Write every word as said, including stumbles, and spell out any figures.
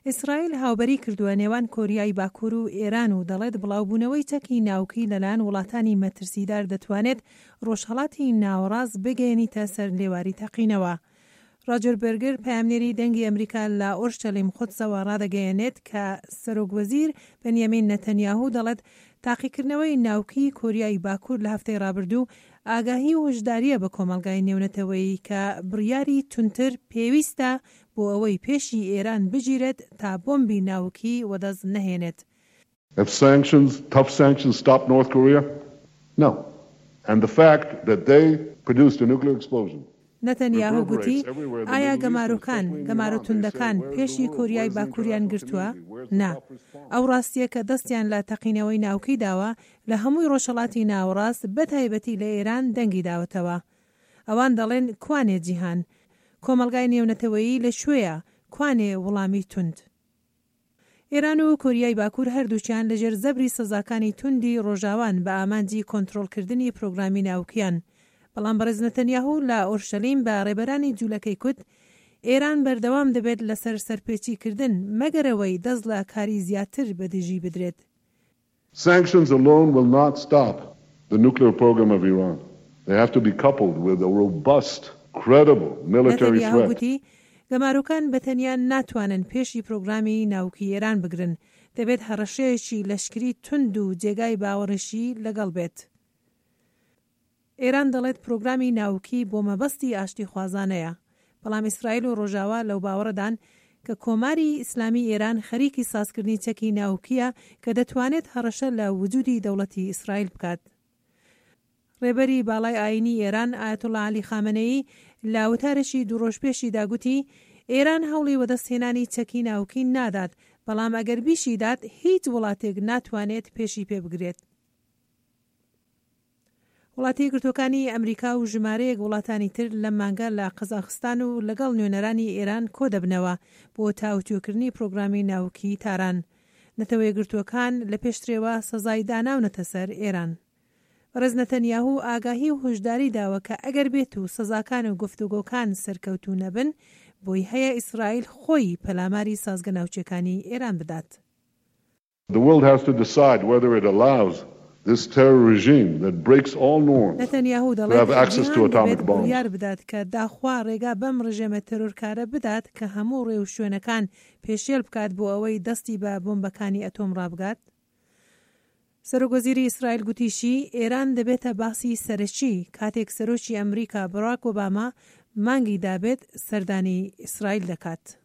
ئیسرائیل هاوبەری کردووە نێوان کۆریای باکوور و ئێران و دەڵێت بڵاوبوونەوەی چەکی ناوکی لەلایەن وڵاتانی مەترسیدار دەتوانێت ڕۆژهەڵاتی ناوەڕاست بگەیەنیتە سەر لێواری تەقینەوە. ڕاجەر بێرگر، پەیامنێری دەنگی ئەمریکا لە ئۆرشەلیم قودسەوە ڕادەگەیەنێت کە سەرۆک وەزیر بنیامین نەتەنیاهو دەڵێت تاقیکردنەوەی ناوکی کۆریای باکوور لە هەفتەی ڕابردوو ئاگاهی و هۆشدارییە بە کۆمەڵگای نێونەتەوەیی کە بڕیاری توندتر پێویستە بۆ ئەوەی پێشی ئێران بگیرێت تا بۆمبی ناوکی وەدەست نەهێنێت. Have sanctions, tough sanctions, stopped North Korea? No. And the fact that they produced a nuclear explosion نەتەنیاهۆ گوتی، ئایا گەمارۆکان، گەمارۆ توندەکان پێشی کۆریای باکووریان گرتووە؟ نا. ئەو ڕاستییە کە دەستیان لە تەقینەوەی ناوکی داوە لە هەمووی ڕۆژهەڵاتی ناوەڕاست بە تایبەتی لە ئێران دەنگی داوەتەوە. ئەوان دەڵێن کوانێ جیهان؟ کۆمەڵگای نێونەتەوەیی لە کوێیە؟ کوانێ وڵامی توند؟ ئێران و کۆریای باکوور هەردووکیان لەژێر زەبری سزاکانی توندی ڕۆژاوان بە ئامانجی کۆنترۆڵکردنی پرۆگرامی ناوکیان. بەڵام بەڕێز نەتەنیاهو لە ئۆرشەلیم بە ڕێبەرانی جوولەکەی کوت ئێران بەردەوام دەبێت لەسەر سەرپێچیکردن مەگەرەوەی دەست لە کاری زیاتر بەدژی بدرێت. Sanctions alone will not stop the nuclear program of Iran. They have to be coupled with a robust, credible military نەتەنیاهۆ threat. گوتی گەمارۆکان بە تەنیا ناتوانن پێشی پرۆگرامی ناوکی ئێران بگرن، دەبێت هەڕەشەیەکی لەشکری توند و جێگای باوەڕیشی لەگەڵ بێت. ئێران دەڵێت پرۆگرامی ناوکی بۆ مەبەستی ئاشتی خوازانەیە، بەڵام ئیسرائیل و ڕۆژاوا لەو باوەڕدان کە کۆماری ئیسلامی ئێران خەریکی سازکردنی چەکی ناوکیە کە دەتوانێت هەڕەشە لە وجودی دەوڵەتی ئیسرائیل بکات. ڕێبەری باڵای ئاینی ئێران ئایەتوڵڵا عەلی خامنەیی لە وتارێکی دوو ڕۆژ پێشیدا گوتی ئێران هەوڵی وەدەستهێنانی چەکی ناوکی نادات، بەڵام ئەگەر بیشیدات هیچ وڵاتێک ناتوانێت پێشی پێ بگرێت. وڵاتی یەکگرتووەکانی ئەمریکا و ژمارەیەک وڵاتانی تر لەم مانگە لە قەزاقستان و لەگەڵ نوێنەرانی ئێران کۆ دەبنەوە بۆ تاوتوێکردنی پرۆگرامی ناوکی تاران. نەتەوە یەکگرتووەکان لە پێشترەوە سەزای داناونەتە سەر ئێران. بەڕێز نەتەنیاهو ئاگاهی و هۆشداری داوە کە ئەگەر بێت و سەزاکان و گفتوگۆکان سەرکەوتوو نەبن، بۆی هەیە ئیسرائیل خۆی پەلاماری سازگە ناوچەکانی ئێران بدات. The world has to decide whether it allows this terror regime that breaks all norms نەتەنیاهو to have دەڵێت access to جیهان atomic دەبێت bombs. بڕیار بدات کە داخوا ڕێگا بەم ڕژێمە تێرۆرکارە بدات کە هەموو ڕێوشوێنەکان پێشێل بکات بۆ ئەوەی دەستی بە بۆمبەکانی ئەتۆم ڕابگات. سەرۆک وەزیری ئیسرائیل گوتیشی ئێران دەبێتە باسی سەرەکی کاتێک سەرۆکی ئەمریکا باراک ئۆباما مانگی دابێت سەردانی ئیسرائیل دەکات.